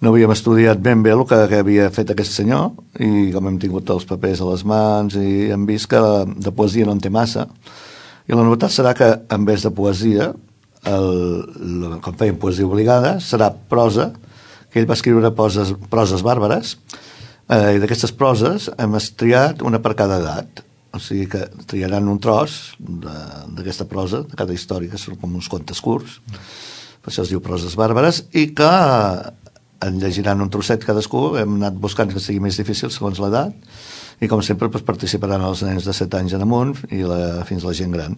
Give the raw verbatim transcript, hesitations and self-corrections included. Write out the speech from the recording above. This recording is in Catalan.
no havíem estudiat ben bé el que, que havia fet aquest senyor, i com hem tingut els papers a les mans i hem vist que de poesia no en té massa, i la novetat serà que en vez de poesia, el, el, com feien poesia obligada, serà prosa, que ell va escriure poses, proses bàrbares, eh, i d'aquestes proses hem triat una per cada edat, o sigui que triaran un tros d'aquesta prosa, de cada història, que són com uns contes curts, per això es diu proses bàrbares, i que en llegiran un trosset cadascú, hem anat buscant que sigui més difícil segons l'edat, i com sempre doncs, participaran els nens de set anys en amunt i la, fins la gent gran.